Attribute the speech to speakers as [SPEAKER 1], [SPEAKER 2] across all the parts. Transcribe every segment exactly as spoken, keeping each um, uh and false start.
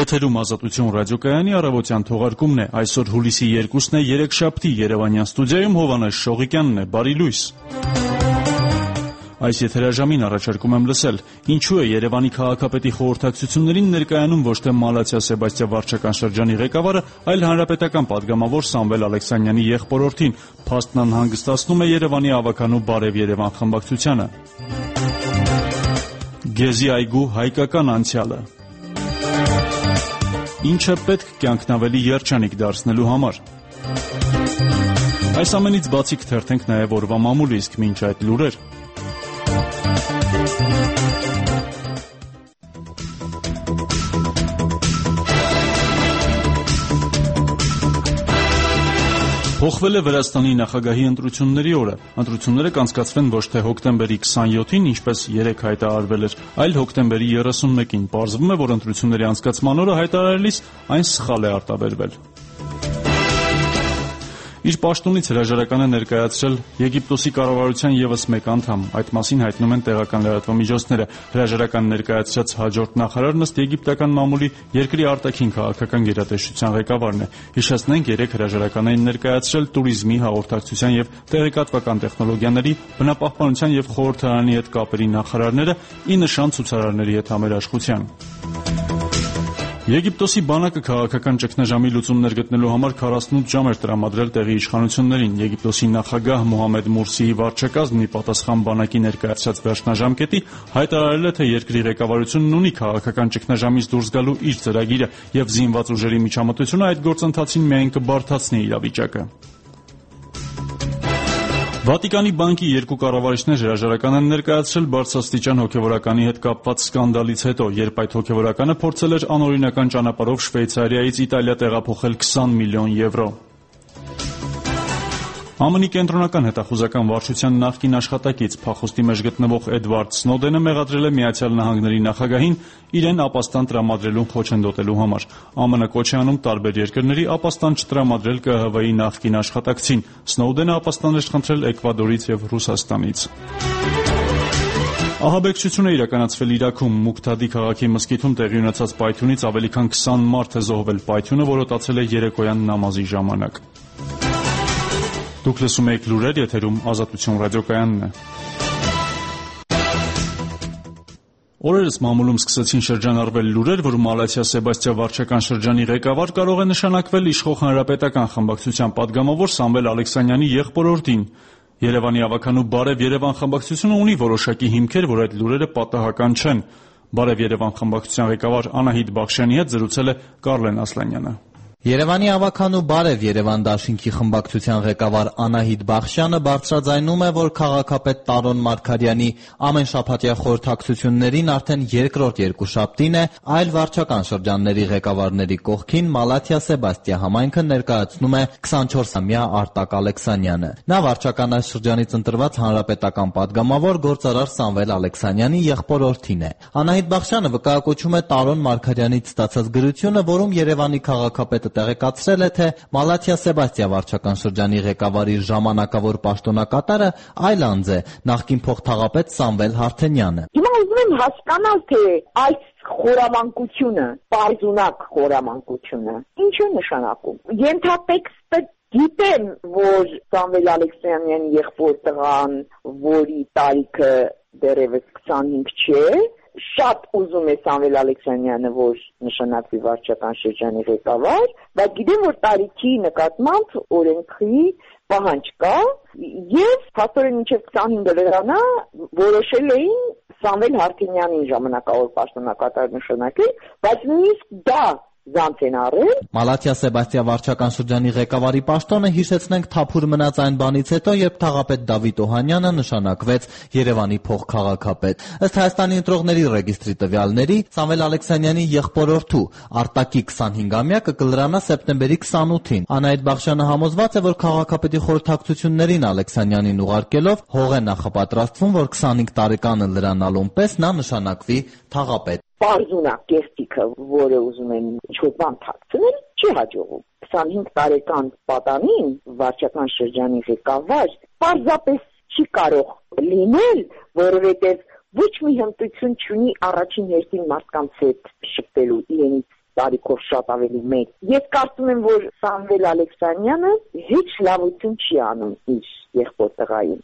[SPEAKER 1] Եթերում Ազատություն ռադիոկայանի առավոտյան թողարկումն է։ Այսօր հուլիսի երկուսն է, երեքշաբթի Երևանյան ստուդիայում Հովհաննես Շողիկյանն է։ Բարի լույս։ Այս եթերաժամին առաջարկում եմ լսել. ինչու է Երևանի քաղաքապետի խորհրդակցություններին ներկայանում ոչ թե Մալաթիա Սեբաստիա վարչական շրջանի ղեկավարը, այլ հանրապետական պատգամավոր Սամվել Ալեքսանյանի եղբորորդին։ Փաստն անհանգստացնում է Երևանի ավականու Բարև Երևան խմբակցությանը։ Գեզի այգու հայկական անցյալը։ Ինչ է պետք կյանքն ավելի երջանիկ դարձնելու համար։ Այս ամենից բացի կթերթենք նաև օրվա մամուլը, իսկ մինչ այդ լուրեր։ Փոխվել է Վրաստանի նախագահի ընտրությունների օրը։ Ընտրությունները կանցկացվեն ոչ թե հոկտեմբերի քսանյոթին, ինչպես երեկ հայտարարվել էր, այլ հոկտեմբերի երեսունմեկին։ Պարզվում է, որ ընտրությունների անցկացման օրը հայտարարելիս այն սխալ է արտաբերվել։ Իր պաշտոնից հրաժարական է ներկայացրել Եգիպտոսի կառավարության ևս մեկ անդամ։ Այդ մասին հայտնում են տեղական լրատվամիջոցները։ Հրաժարական ներկայացրած հաջորդ նախարարն ըստ եգիպտական մամուլի երկրի արտաքին քաղաքական գերատեսչության ղեկավարն է։ Հիշեցնենք, երեք հրաժարական էին ներկայացրել տուրիզմի, հաղորդակցության եւ տեղեկատվական տեխնոլոգիաների, բնապահպանության եւ խորհրդարանի հետ կապերի նախարարները՝ ի նշան ցուցարարների հետ համերաշխության։ Եգիպտոսի բանակը քաղաքական ճգնաժամի լուծումներ գտնելու համար քառասունութ ժամ էր տրամադրել տեղի իշխանություններին։ Եգիպտոսի նախագահ Մոհամեդ Մուրսիի վարչակազմն ի պատասխան բանակի ներկայացրած վերջնաժամկետի հայտարարել է, թե երկրի ղեկավարությունն ունի քաղաքական ճգնաժամից դուրս գալու իր ծրագիրը եւ զինված ուժերի միջամտությունը այդ գործընթացին միայն կբարդացնի իրավիճակը։ Վատիկանի բանկի երկու կառավարիչներ հրաժարական են ներկայացրել բարձրաստիճան հոգևորականի հետ կապված սկանդալից հետո, երբ այդ հոգևորականը փորձել էր անօրինական ճանապարհով Շվեյցարիայից Իտալիա տեղափոխել քսան միլիոն եվրո։ ԱՄՆ-ի կենտրոնական հետախուզական վարչության նախկին աշխատակից փախուստի մեջ գտնվող Էդվարդ Սնոուդենը մեղադրել է Միացյալ Նահանգների նախագահին իրեն ապաստան տրամադրելուն խոչընդոտելու համար։ ԱՄՆ կոչ է անում տարբեր երկրների ապաստան չտրամադրել Կ Հ V-ի նախկին աշխատակցին։ Սնոուդենը ապաստան էր խնդրել Էկվադորից եւ Ռուսաստանից։ Ահաբեկչություն է իրականացվել Իրաքում։ Մուկթադի քաղաքի մզկիթում տեղի ունեցած պայթյունից ավելի քան քսան մարդ է զոհվել։ Պայթյունը որոտացել է երեկոյան նամազի ժամանակ։ Դուք լսում եք լուրեր, եթերում Ազատություն ռադիոկայանն է։ Օրերս մամուլում սկսեցին շրջանառվել լուրեր, որ Մալաթիա Սեբաստիա վարչական շրջանի ղեկավար կարող է նշանակվել իշխող հանրապետական խմբակցության պատգամավոր Սամվել Ալեքսանյանի եղբորորդին։ Երևանի ավականու Բարև Երևան խմբակցությունը ունի որոշակի հիմքեր, որ այդ լուրերը պատահական չեն։ Բարև Երևան խմբակցության ղեկավար Անահիտ Բախշյանի հետ զրուցել է Կարլեն Ասլանյանը։
[SPEAKER 2] Երևանի ավականու Բարև Երևան դաշինքի խմբակցության ղեկավար Անահիտ Բախշյանը բարձրաձայնում է, որ քաղաքապետ Տարոն Մարգարյանի ամենշաբաթյա խորհրդակցություններին արդեն երկրորդ երկուշաբթին է, այլ վարչական շրջանների ղեկավարների կողքին Մալաթիա Սեբաստիա համայնքը ներկայացնում է քսանչորսամյա Արտակ Ալեքսանյանը։ Նա վարչական այս շրջանից ընտրված հանրապետական պատգամավոր գործարար Սամվել Ալեքսանյանի եղբորորդին է։ Անահիտ Բախշյանը վկայակոչում է Տարոն Մարգարյանից ստացած գրությունը, որում Երևանի քաղաքապետը տեղեկացրել է, թե Մալաթիա Սեբաստիա վարչական շրջանի ղեկավարի ժամանակավոր պաշտոնակատարը այլ անձ է, նախկին փոխթաղապետ Սամվել Հարթենյանը։
[SPEAKER 3] Հիմա ուզում եմ հասկանալ, թե այս խորամանկությունը, պարզունակ խորամանկությունը, ինչ է նշանակում։ Ենթատեքստը գիտեմ, որ Սամվել Ալեքսանյանի եղբոր տղան, որի տարիքը դեռևս քսանհինգ չէ, շատ ուզում է Սամվել Ալեքսանյանը, որ նշանակվի վարչական շրջանի ղեկավար, բայց գիտեմ, որ տարիքի նկատմամբ օրենքի պահանջ կա, եւ փաստորեն մինչեւ քսանհինգ դրանա որոշել էին Սամվել Հարթենյանին ժամանակավոր պաշտոնակատար նշանակել, բայց նույնիսկ դա զանց են առել։
[SPEAKER 2] Մալաթիա Սեբաստիա վարչական շրջանի ղեկավարի պաշտոնը, հիշեցնենք, թափուր մնաց այն բանից հետո, երբ թաղապետ Դավիթ Օհանյանը նշանակվեց Երևանի փոխքաղաքապետ։ Ըստ Հայաստանի ընտրողների ռեգիստրի տվյալների, Սամվել Ալեքսանյանի եղբորորդու Արտակի քսանհինգամյակը կլրանա սեպտեմբերի քսանութին։ Անահիտ Բախշյանը համոզված է, որ քաղաքապետի խորհրդակցություններին Ալեքսանյանին ուղարկելով հող է նախապատրաստվում, որ քսանհինգ տարեկանը լրանալուն պես նա նշանակվի թաղապետ։
[SPEAKER 3] Պարզունակ կեղտիկը, որը ուզում են ինչ-որ բան թաքցնել, չի հաջողում։ քսանհինգ տարեկան պատանին վարչական շրջանի ղեկավար պարզապես չի կարող լինել, որովհետև ոչ մի հմտություն չունի առաջին հերթին մարդկանց հետ շփվելու, իրենից տարիքով շատ ավելի մեծ։ Ես կարծում եմ, որ Սամվել Ալեքսանյանը հեչ լավություն չի անում իր եղբոր տղային։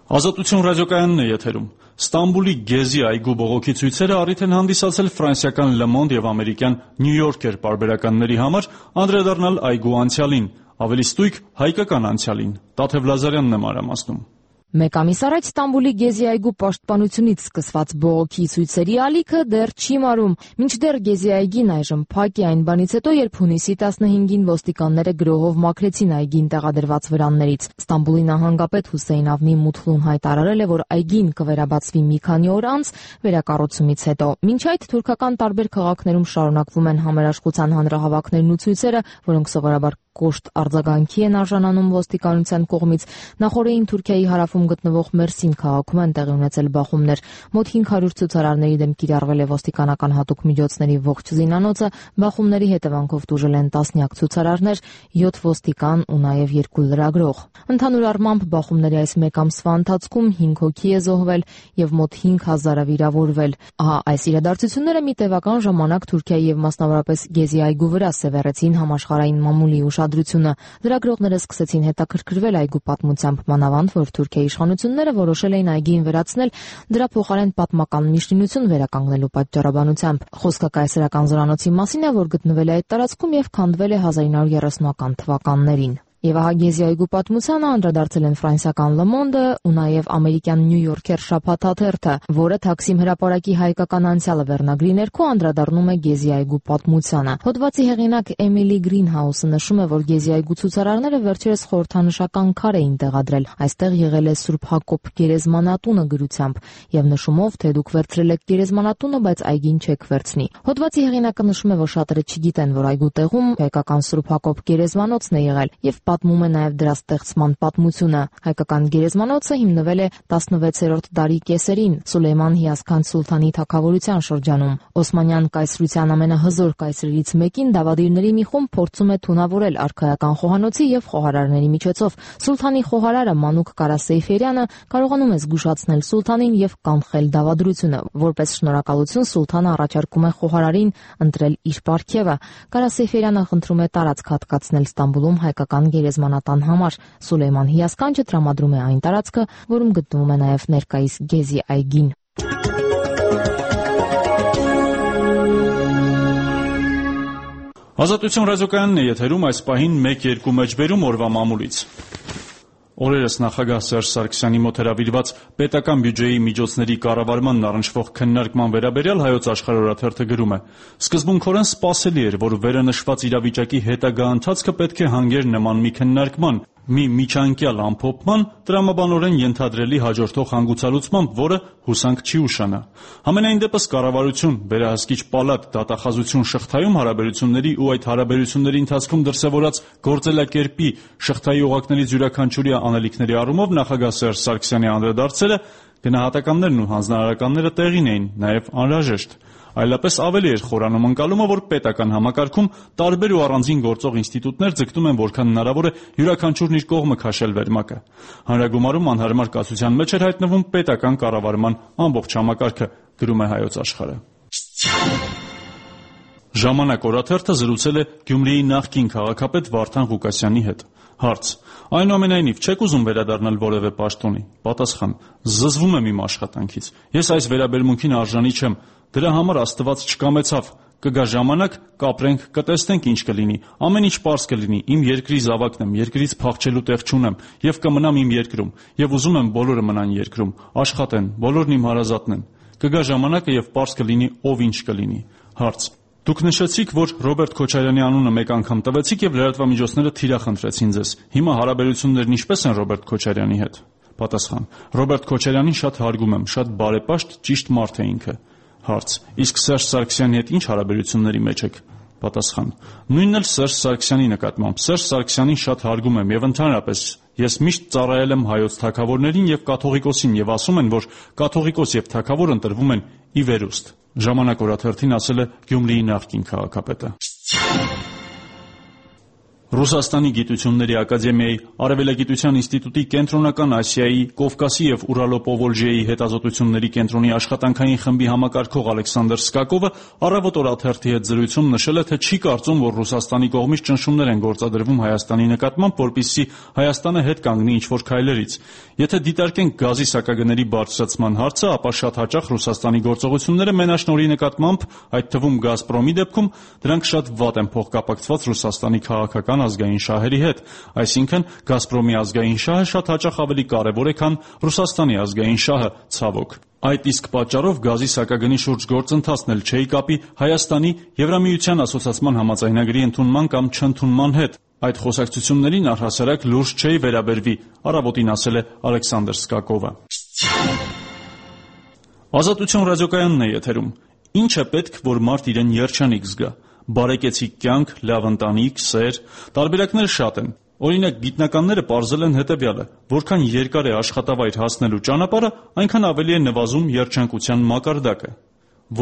[SPEAKER 1] Ազատություն ռադիոկայանն է եթերում։ Ստամբուլի Գեզի այգու բողոքի ցույցերը առիթ են հանդիսացել ֆրանսիական Le Monde եւ ամերիկյան New Yorker պարբերականների համար անդրադառնալ այգու անցյալին, ավելի ստույգ հայկական անցյալին։ Տաթև Լազարյանն է մանրամասնում։
[SPEAKER 4] Մեկ ամիս առաջ Ստամբուլի Գեզի այգու պաշտպանությունից սկսված բողոքի ցույցերի ալիքը դեռ չի մարում։ Մինչդեռ Գեզի այգին այժմ փակ է այն բանից հետո, երբ հունիսի տասնհինգին ոստիկանները գրոհով մաքրեցին այգին տեղադրված վրաններից։ Ստամբուլի նահանգապետ Հուսեյն Ավնի Մութլուն հայտարարել է, որ այգին կվերաբացվի մի քանի օր անց վերակառուցումից հետո։ Մինչ այդ թուրքական տարբեր քաղաքներում շարունակվում են համերաշխության հանրահավաքներն ու ցույցերը, որոնք սովորաբար կոշտ արձագանքի են արժանանում ոստիկանության կողմից։ Նախորդին Թուրքիայի հարավում գտնվող Մերսին քաղաքում են տեղի ունեցել բախումներ։ Մոտ հինգ հարյուր ցուցարարների դեմ կիրառվել է ոստիկանական հատուկ միջոցների ողջ զինանոցը, բախումների հետևանքով տուժել են տասնյակ ցուցարարներ, յոթ ոստիկան ու նաև երկու լրագրող։ Ընդհանուր առմամբ բախումների այս մեկ ամսվա ընթացքում հինգ հոգի է զոհվել եւ մոտ հինգ հազարը վիրավորվել։ Ահա այս իրադարձությունները մի տևական ժամանակ Թուրքիայի եւ մասնավորապես Գեզի այգու վրա սևեռեցին համաշխարհային մամուլի ուշադրությունը։ Լրագրողները սկսեցին հետաքրքրվել այգու պատմությամբ, մանավանդ որ Թուրքիայի իշխանությունները որոշել էին այգին վերացնել դրա փոխարեն պատմական մի շինություն վերականգնելու պատճառաբանությամբ։ Խոսքը կայսերական զորանոցի մասին է, որ գտնվել է այդ տարածքում եւ քանդվել է հազար ինը հարյուր երեսունական թվականներին։ Եվ ահա Գեզի այգու պատմությանը անդրադարձել են ֆրանսիական Le Monde ու նաև ամերիկյան New Yorker շաբաթաթերթը, որը Թաքսիմ հրապարակի հայկական անցյալը վերնագրի ներքո անդրադառնում է Գեզի այգու պատմությանը։ Հոդվածի հեղինակ Էմիլի Գրինհաուսը նշում է, որ Գեզի այգու ցուցարարները վերջերս խորհրդանշական քար էին տեղադրել։ Այստեղ եղել է Սուրբ Հակոբ գերեզմանատունը գրությամբ եւ նշումով, թե դուք վերցրել եք գերեզմանատունը, բայց այգին չեք վերցնի։ Հոդվածի հեղինակը նշում է, որ շատերը չգիտեն, որ այգու տեղում հայկական Սուրբ Հակոբ գերեզմանոցն է եղել եւ պատմում է նաև դրա ստեղծման պատմությունը։ Հայկական գերեզմանոցը հիմնվել է տասնվեցերորդ դարի կեսերին Սուլեյման Հիասքանչ սուլթանի թագավորության շրջանում։ Օսմանյան կայսրության ամենահզոր կայսրերից մեկին դավադիրների մի խումբ փորձում է թունավորել արքայական խոհանոցի եւ խոհարարների միջոցով։ Սուլթանի խոհարարը Մանուկ Կարա Սեյֆերյանը կարողանում է զգուշացնել սուլթանին եւ կանխել դավադրությունը։ Որպես շնորհակալություն սուլթանը առաջարկում է խոհարարին ընտրել իր պարգևը։ Կարա Սեյֆերյանը խնդրում է տարածք հատկացնել Ստամբուլում հայկական գերեզմանատան համար։ Սուլեյման Հիասքանչը տրամադրում է այն տարածքը, որում գտնվում է նաև ներկայիս Գեզի այգին։
[SPEAKER 1] Ազատություն ռադիոկայանն է եթերում, այս պահին մեկ երկու մեջբերում օրվա մամուլից։ Օրերս նախագահ Սերժ Սարգսյանի մոտ հրավիրված պետական բյուջեի միջոցների կառավարմանն առնչվող քննարկման վերաբերյալ Հայոց Աշխարհ օրաթերթը գրում է. «Սկզբունքորեն սպասելի էր, որ վերը նշված իրավիճակի հետագա ընթացքը պետք է հանգեր նման մի քննարկման, մի միջանկյալ ամփոփման, տրամաբանորեն ենթադրելի հաջորդող հանգուցալուծմամբ, որը հուսանք չի ուշանա։ Համենայն դեպս կառավարություն, վերահսկիչ պալատ, դատախազություն շղթայում հարաբերությունների ու այդ հարաբերությունների ընթացքում դրսևորած գործելակերպի շղթայի օղակներից յուրաքանչյուրի անելիքների առումով նախագահ Սերժ Սարգսյանի անդրադարձելը գնահատականներն ու հանձնարարականները տեղին էին, նաև անհրաժեշտ։ Այլապես ավելի էր խորանում ընկալումը, որ պետական համակարգում տարբեր ու առանձին գործող ինստիտուտներ ձգտում են որքան հնարավոր է յուրաքանչյուրն իր կողմը քաշել վերմակը։ Հանրագումարում անհարմար կասության մեջ էր հայտնվում պետական կառավարման ամբողջ համակարգը», գրում է Հայոց Աշխարհը։ Ժամանակ օրաթերթը զրուցել է Գյումրիի նախկին քաղաքապետ Վարդան Ղուկասյանի հետ։ Հարց. այնուամենայնիվ չեք ուզում վերադառնալ որևէ պաշտոնի։ Պատասխան. զզվում եմ իմ աշխատանքից։ Ես այս վերաբերմունքին արժանի չեմ։ Դրա համար Աստված չկամեցավ։ Կգա ժամանակ, կապրենք, կտեսնենք ինչ կլինի։ Ամեն ինչ պարզ կլինի։ Իմ երկրի զավակն եմ, երկրից փախչելու տեղ չունեմ եւ կմնամ իմ երկրում։ Եվ ուզում եմ բոլորը մնան երկրում, աշխատեն, բոլորն իմ հարազատն են։ Կգա ժամանակը եւ պարզ կլինի ով ինչ կլինի։ Հարց. Դուք նշեցիք, որ Ռոբերտ Քոչարյանի անունը մեկ անգամ տվեցիք եւ լրատվամիջոցները թիրախնդրեցին ձեզ։ Հիմա հարաբերություններն ինչպե՞ս են Ռոբերտ Քոչարյանի հետ։ Պատասխան. Ռոբերտ Քոչարյանին շատ հարգում եմ, շատ բարեպաշտ, ճիշտ մարդ է ինքը։ Հարց. իսկ Սերժ Սարգսյանի հետ ինչ հարաբերությունների մեջ եք։ Պատասխան. նույնն էլ Սերժ Սարգսյանի նկատմամբ։ Սերժ Սարգսյանին շատ հարգում եմ եւ ընդհանրապես ես միշտ ծառայել եմ հայոց թագավորներին եւ կաթողիկոսին եւ ասում են, որ կաթողիկոս եւ թագավոր ընտրվում են ի վերուստ։ Ժամանակ օրաթերթին ասել է Գյումրիի նախկին քաղաքապետը։ Ռուսաստանի գիտությունների ակադեմիայի Արևելագիտության ինստիտուտի Կենտրոնական Ասիայի, Կովկասի և Ուրալո-Պովոլժիեի հետազոտությունների կենտրոնի աշխատանքային խմբի համակարգող Ալեքսանդր Սկակովը «Առավոտ» օրաթերթի հետ զրույցում նշել է, թե չի կարծում, որ Ռուսաստանի կողմից ճնշումներ են գործադրվում Հայաստանի նկատմամբ, որպեսզի Հայաստանը հետ կանգնի ինչ-որ քայլերից։ Եթե դիտարկենք գազի սակագների բարձրացման հարցը, ապա շատ հաճախ Ռուսաստանի գործողությունները մենաշնորհի նկատմամբ, այդ թվում «Գազպրոմի» դեպքում, դրանք շատ վատ են փոխկապակցված Ռուսաստանի քաղաքական ազգային շահերի հետ, այսինքն «Գազպրոմի» ազգային շահը շատ հաճախ ավելի կարևոր է, քան Ռուսաստանի ազգային շահը, ցավոք։ Այդ իսկ պատճառով գազի սակագնի շուրջ գործընթացն էլ չէի կապի Հայաստանի Եվրամիության ասոցացման համաձայնագրի ընդունման կամ չընդունման հետ։ Այդ խոսակցություններին առհասարակ լուրջ չէի վերաբերվի, «Առավոտին» ասել է Ալեքսանդր Սկակովը։ Ազատություն ռադիոկայանն է եթերում։ Ինչ է պետք, որ մարդ իրեն երջանիկ զգա։ Բարեկեցիկ կյանք, լավ ընտանիք, սեր, տարբերակները շատ են։ Օրինակ, գիտնականները պարզել են հետևյալը. որքան երկար է աշխատավայր հասնելու ճանապարհը, այնքան ավելի է նվազում երջանկության մակարդակը։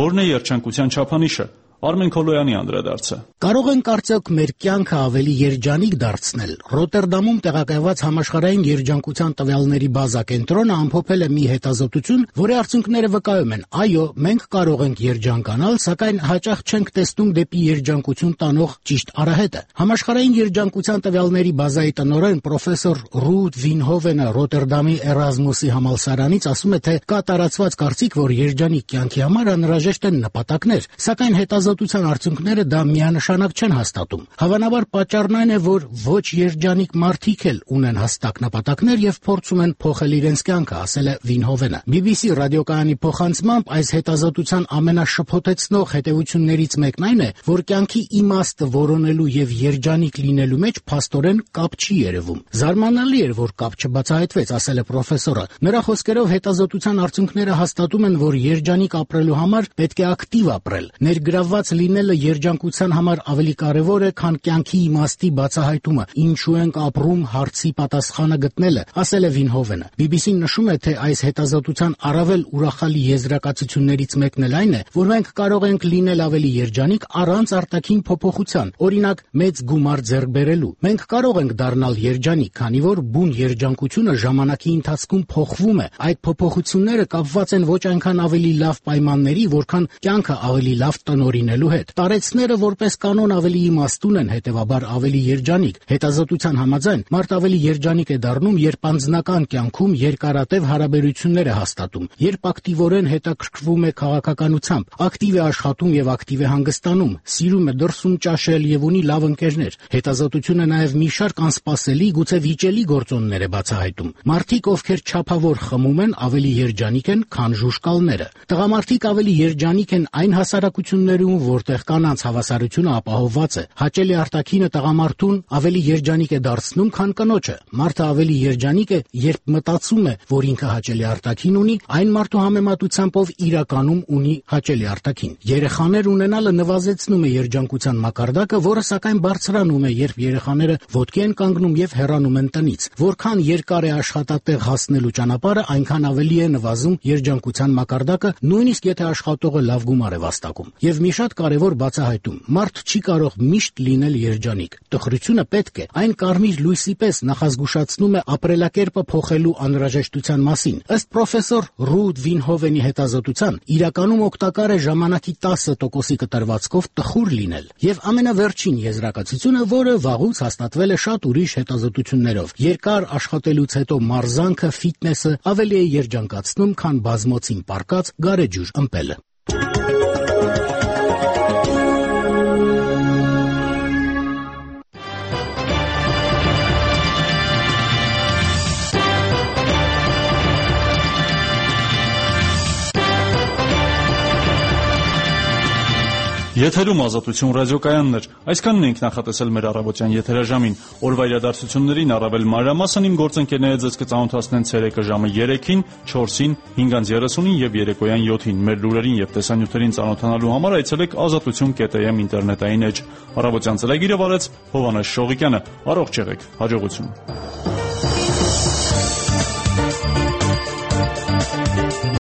[SPEAKER 1] Որն է երջանկության չափանիշը։ Արմեն Քոլոյանի անդրադարձը։
[SPEAKER 5] Կարող ենք արդյոք մեր կյանքը ավելի երջանիկ դարձնել։ Ռոտերդամում տեղակայված համաշխարհային երջանկության տվյալների բազա կենտրոնը ամփոփել է մի հետազոտություն, որի արդյունքները վկայում են. այո, մենք կարող ենք երջանկանալ, սակայն հաճախ չենք տեսնում դեպի երջանկություն տանող ճիշտ արահետը։ Համաշխարհային երջանկության տվյալների բազայի տնօրեն պրոֆեսոր Ռուդ Վինհովենը Ռոտերդամի Էրազմուսի համալսարանից ասում է, թե կա տարածված կարծիք, որ երջանիկ կյանքի համար անհրաժեշտ են նպատակներ, սակայն հետազոտության արդյունքները դա միանշանակ չեն հաստատում։ Հավանաբար պատճառն այն է, որ ոչ երջանիկ մարդիկ էլ ունեն հստակ նպատակներ եւ փորձում են փոխել իրենց կյանքը, ասել է Վինհովենը։ բի բի սի ռադիոկայանի փոխանցմամբ այս հետազոտության ամենաշփոթեցնող հետևություններից մեկն այն է, որ կյանքի իմաստը որոնելու եւ երջանիկ լինելու մեջ փաստորեն կապ չի երևում։ Զարմանալի էր, որ կապ չբացահայտվեց, ասել է պրոֆեսորը։ Նրա խոսքերով հետազոտության արդյունքները հաստատում են, որ երջանիկ ապրելու համար պետք է ակտիվ ապրել։ Ներգրավված լինելը երջանկության համար ավելի կարևոր է, քան կյանքի իմաստի բացահայտումը, ինչու ենք ապրում հարցի պատասխանը գտնելը, ասել է Վինհովենը։ բի բի սին նշում է, թե այս հետազոտության առավել ուրախալի եզրակացություններից մեկն էլ այն է, որ մենք կարող ենք լինել ավելի երջանիկ առանց արտաքին փոփոխության, օրինակ մեծ գումար ձեռք բերելու։ Մենք կարող ենք դառնալ երջանիկ, քանի որ բուն երջանկությունը ժամանակի ընթացքում փոխվում է։ Այդ փոփոխությունները կապված են ոչ այնքան ավելի լավ պայմանների, որքան կյանքը ավելի լավ տնօրինելու հետ։ Տարեցները որպես կանոն ավելի իմաստուն են, հետևաբար ավելի երջանիկ։ Հետազոտության համաձայն մարդ ավելի երջանիկ է դառնում, երբ անձնական կյանքում երկարատև հարաբերություններ է հաստատում, երբ ակտիվորեն հետաքրքրվում է քաղաքականությամբ, ակտիվ է աշխատում եւ ակտիվ է հանգստանում, սիրում է դրսում ճաշել եւ ունի լավ ընկերներ։ Հետազոտությունը նաեւ մի շարք անսպասելի, գուցե վիճելի գործոններ է բացահայտում։ Մարդիկ, ովքեր չափավոր խմում են, ավելի երջանիկ են, քան ժուժկալները։ Տղամարդիկ ավելի երջանիկ են այն հասարակություններում, որտեղ կանանց հավասարությունը ապահովված է։ Հաճելի արտաքինը տղամարդուն ավելի երջանիկ է դարձնում, քան կնոջը։ Մարդը ավելի երջանիկ է, երբ մտածում է, որ ինքը հաճելի արտաքին ունի, այն մարդու համեմատությամբ, ով իրականում ունի հաճելի արտաքին։ Երեխաներ ունենալը նվազեցնում է երջանկության մակարդակը, որը սակայն բարձրանում է, երբ երեխաները ոտքի են կանգնում եւ հեռանում են տնից։ Որքան երկար է աշխատատեղ հասնելու ճանապարհը, այնքան ավելի է նվազում երջանկության մակարդակը, նույնիսկ եթե աշխատողը լավ գումար է վաստակում։ Եվ մի շատ կարևոր բացահայտում. մարդ չի կարող միշտ լինել երջանիկ։ Տխրությունը պետք է այն կարմիր լույսի պես նախազգուշացնում է ապրելակերպը փոխելու անհրաժեշտության մասին։ Ըստ պրոֆեսոր Ռուդ Վինհովենի հետազոտության, իրականում օգտակար է ժամանակի տասը տոկոսի կտրվածքով տխուր լինել։ Եվ ամենավերջին եզրակացությունը, որը վաղուց հաստատվել է շատ ուրիշ հետազոտություններով, երկար աշխատելուց հետո մարզանքը, ֆիթնեսը ավելի է երջանկացնում, քան բազմոցին պառկած գարեջուր ըմպելը։
[SPEAKER 1] Եթերում Ազատություն ռադիոկայանն էր։ Այսքանն ենք նախատեսել մեր առավոտյան եթերաժամին։ Օրվա իրադարձություններին առավել մանրամասն իմ գործընկերները ձեզ կծանոթացնեն ցերեկը ժամը երեքին, չորսին, հինգ երեսունին եւ երեկոյան յոթին։ Մեր լուրերին եւ տեսանյութերին ծանոթանալու համար այցելեք ազատություն կետ էմ ինտերնետային էջ։ Առավոտյան ծրագիրը վարեց Հովհաննես Շողիկյանը։ Առողջ եղեք։ Հաջողություն։